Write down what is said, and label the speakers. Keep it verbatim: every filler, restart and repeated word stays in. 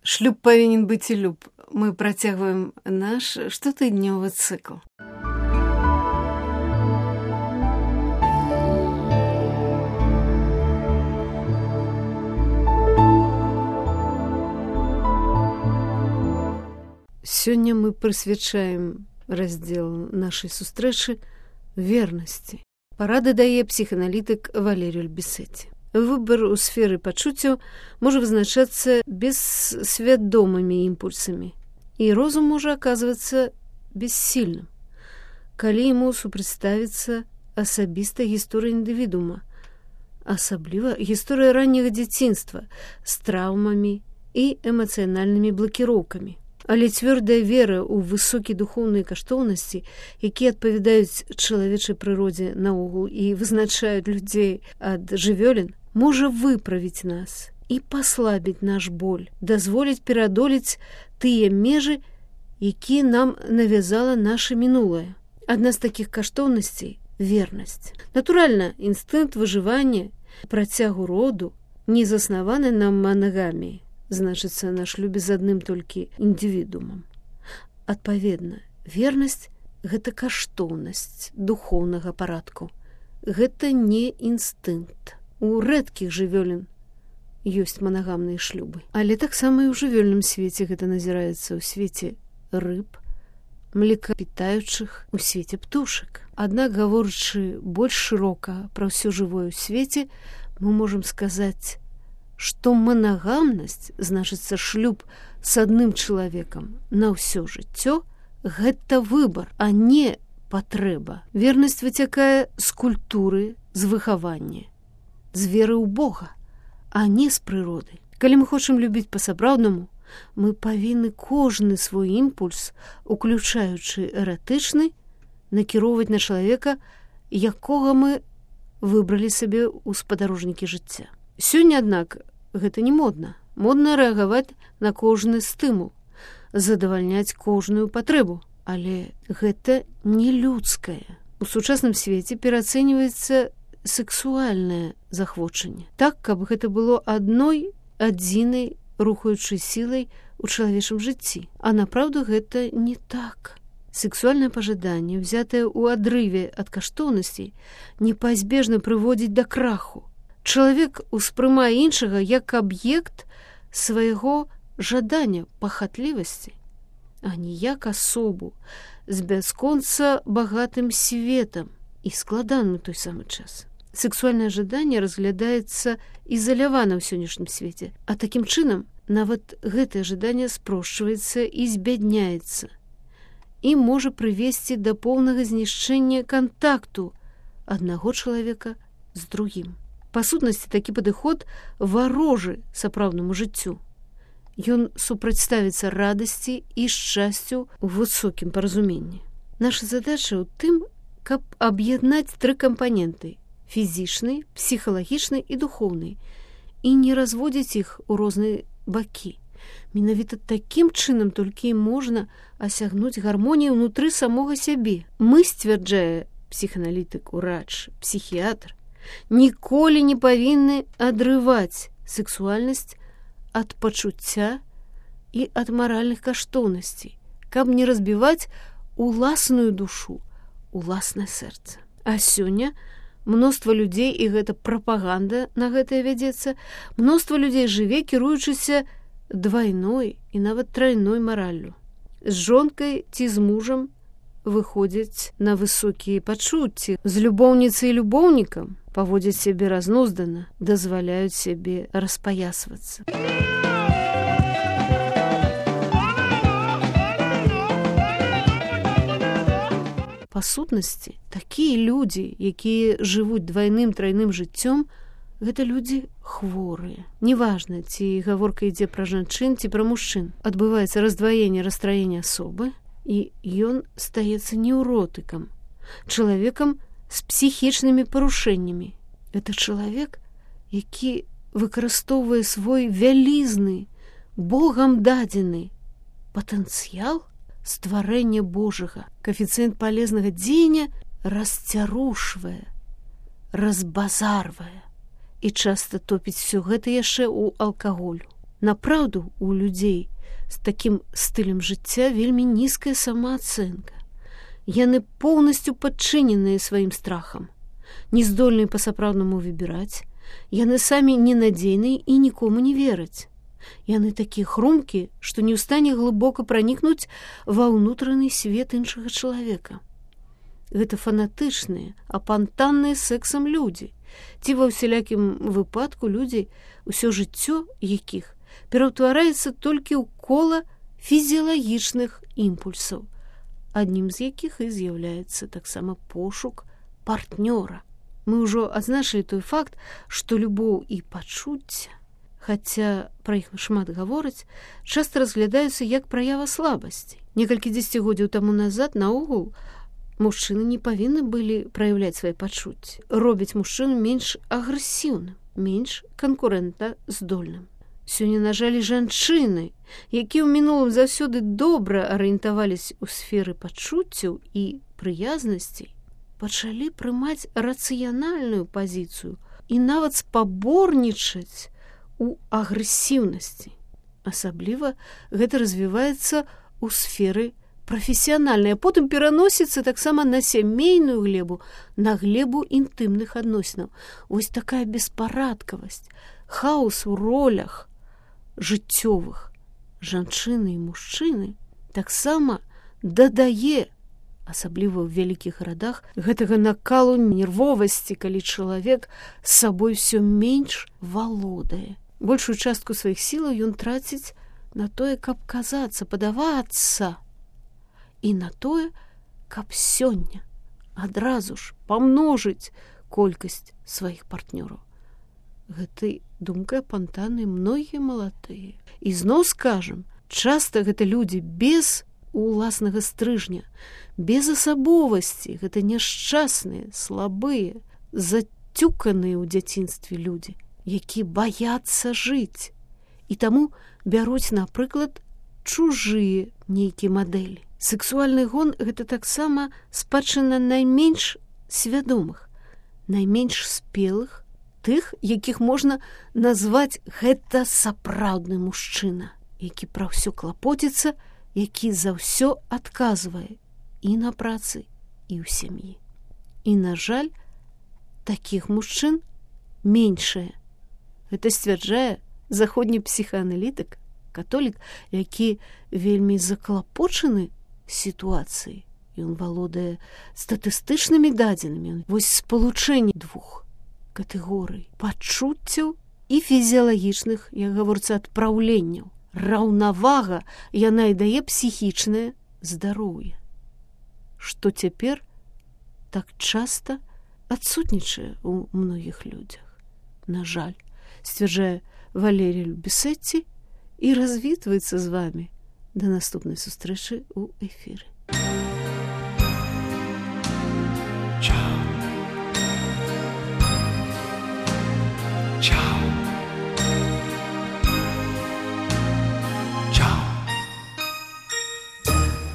Speaker 1: Шлюб павінен быць і люб. Мы працягваем наш штотыднёвы цыкл. Сёння мы прысвячаем раздзел нашай сустрэчы вернасці. Парады дае псіханалітык Валерій Альбісеці. Выбар у сферы пачуццяў можа вызначацца бессвядомымі імпульсамі, і розум можа аказвацца бессільным, калі яму супрацьставіцца асабістая гісторыя індывідуума, асабліва гісторыя ранняга дзяцінства з траўмамі і эмацыянальнымі блакіроўкамі. Але цвёрдая вера ў высокія духоўныя каштоўнасці, якія адпавядаюць чалавечай прыродзе наогул і вызначаюць людзей ад жывёлін, можа выправіць нас і паслабіць наш боль, дазволіць пераадолець тыя межы, якія нам навязала наша мінулае. Адна з такіх каштоўнасцей – вернасць. Натуральна, інстынкт выжывання, працягу роду не заснаваны на манагаміі, значыцца на шлюбе з адным толькі індывідуумам. Адпаведна, вернасць – гэта каштоўнасць духоўнага парадку. Гэта не інстынкт. У рэдкіх жывёлін ёсць манагамныя шлюбы. Але таксама і ў жывёльным свеце гэта назіраецца ў свеце рыб, млекапітаючых, у свеце птушак. Аднак, гаворачы больш шырока пра ўсё жывое ў свеце, мы можам сказаць, што манагамнасць, значыцца шлюб з адным чалавекам на ўсё жыццё, гэта выбар, а не патрэба. Вернасць выцякае з культуры, з выхавання, з веры ў Бога, а не з прыроды. Калі мы хочам любіць па-сапраўднаму, мы павінны кожны свой імпульс, уключаючы эратычны, накіроўваць на чалавека, якога мы выбралі сабе ў спадарожнікі жыцця. Сёння, аднак, гэта не модна. Модна рэагаваць на кожны стымул, задавальняць кожную патрэбу. Але гэта не людскае. У сучасным свеце пераацэньваецца сексуальнае захвочанне. Так, каб гэта было адной адзінай рухаючай сілай у чалавечым жыцці. А напраўду гэта не так. Сексуальнае пажаданне, ўзятае ў адрыве ад каштоўнасцей, непазбежна прыводзіць да краху. Чалавек успрымае іншага як аб'ект свайго жадання, пахатлівасці, а не як асобу з бясконца багатым светам і складаным у той самы час. Сексуальнае жаданне разглядаецца ізалявана ў сённяшнім свеце, а такім чынам нават гэтае жаданне спрошчваецца і збядняецца і можа прывесці да поўнага знішчэння кантакту аднаго чалавека з другім. Па сутнасці, такі падыход варожы сапраўднаму жыццю. Ён супрацьставіцца радасці і шчасцю ў высокім паразуменні. Наша задача ў тым, каб аб'яднаць тры кампаненты – фізічны, псіхалагічны і духоўны, і не разводзіць іх у розныя бакі. Менавіта такім чынам толькі можна асягнуць гармонію ўнутры самога сябе. Мы, сцвярджае псіханалітык, урач, псіхіятр, ніколі не павінны адрываць сексуальнасць ад пачуцця і ад маральных каштоўнасцей, каб не разбіваць уласную душу, уласнае сэрца. А сёння мноства людзей, і гэта прапаганда на гэтае вядзецца, мноства людзей жыве, кіруючыся двайной і нават трайной мараллю. З жонкай ці з мужам выходзяць на высокія пачуцці, з любоўніцай і любоўнікам паводзяць сябе разнуздана, дазваляюць сябе распаясвацца. Па сутнасці, такія людзі, якія жывуць двайным трайным жыццём, гэта людзі хворыя. Неважна, ці гаворка ідзе пра жанчын, ці пра мужчын. Адбываецца раздваенне расстраення асобы, і ён стаецца неўротыкам, чалавекам з псіхічнымі парушэннямі. Гэта чалавек, які выкарыстоўвае свой вялізны, Богам дадзены патэнцыял стварэння Божага. Коэфіцыент палезнага дзеяння расцярушвае, разбазарвае і часта топіць всё гэта яшчэ ў алкаголю. Напраўду, у людзей з такім стылем жыцця вельмі нізкая самаацэнка. Яны поўнасцю падчыненыя сваім страхам, не здольныя па-сапраўднаму выбіраць, яны самі ненадзейныя і нікому не вераць. Яны такія хрумкія, што не ў стане глыбока пранікнуць ва ўнутраны свет іншага чалавека. Гэта фанатычныя, апантанныя сэксам людзі, ці ва ўсялякім выпадку людзі, усё жыццё якіх пераўтвараецца толькі ў кола фізіялагічных імпульсаў, аднім з якіх і з'яўляецца таксама пошук партнёра. Мы ўжо адзначылі той факт, што любоў і пачуцця, хаця пра іх шмат гавораць, часта разглядаюцца як праява слабасці. Некалькі дзесяцігоддзяў таму назад наогул мужчыны не павінны былі праяўляць свае пачуцці, робяць мужчыну менш агрэсіўным, менш канкурэнтна здольным. Сёння, на жаль, жанчыны, якія ў мінулым заўсёды добра арыентаваліся ў сферы пачуццяў і прыязнасцей, пачалі прымаць рацыянальную пазіцыю і нават спаборнічаць у агрэсіўнасці. Асабліва гэта развіваецца ў сферы прафесіянальнай, а потым пераносіцца таксама на сямейную глебу, на глебу інтымных адносінаў. Вось такая беспарадкавасць, хаос у ролях жыццёвых жанчыны і мужчыны таксама дадае, асабліва ў вялікіх гарадах, гэтага накалу нервовасці, калі чалавек з сабой усё менш валодае. Большую частку сваіх сілаў ён траціць на тое, каб казацца, падавацца, і на тое, каб сёння адразу ж памножыць колькасць сваіх партнёраў. Гэтай думкай апантаны многія маладыя. І зноў скажам, часта гэта людзі без уласнага стрыжня, без асабовасці, гэта няшчасныя, слабыя, зацюканыя ў дзяцінстве людзі, які баяцца жыць, і таму бяруць, напрыклад, чужыя нейкія мадэлі. Сексуальны гон – гэта таксама спадчына найменш свядомых, найменш спелых, тых, якіх можна назваць гэта сапраўдны мужчына, які пра ўсё клапоціцца, які за ўсё адказвае і на працы, і ў сям'і. І, на жаль, такіх мужчын меншае. Гэта сцвярджае заходні псіхааналітык, католік, які вельмі заклапочаны сітуацыяй. Ён валодае статыстычнымі дадзенымі. Вось спалучэнне двух катэгорый пачуццяў і фізіялагічных, як гаворыцца, адпраўленняў. Раўнавага яна і дае псіхічнае здароўе, што цяпер так часта адсутнічае ў многіх людзях. На жаль, сцвярджае Валерій Любісетці і развітваецца з вамі. Да наступнай сустрэчы ў эфіры.